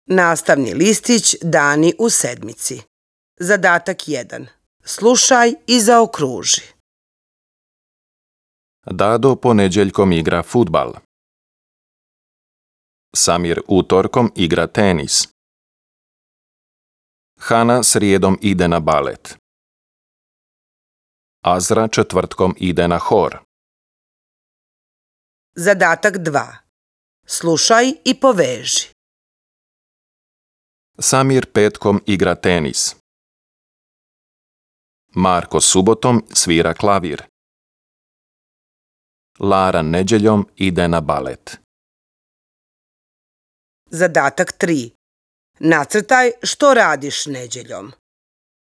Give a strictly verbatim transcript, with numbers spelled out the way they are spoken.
Nastavni listić Dani u sedmici. Zadatak jedan. Slušaj i zaokruži. Dado ponedjeljkom igra fudbal. Samir utorkom igra tenis. Hana srijedom ide na balet. Azra četvrtkom ide na hor. Zadatak dva. Slušaj i poveži. Samir petkom igra tenis. Marko subotom svira klavir. Lara nedjeljom ide na balet. Zadatak tri. Nacrtaj što radiš nedjeljom.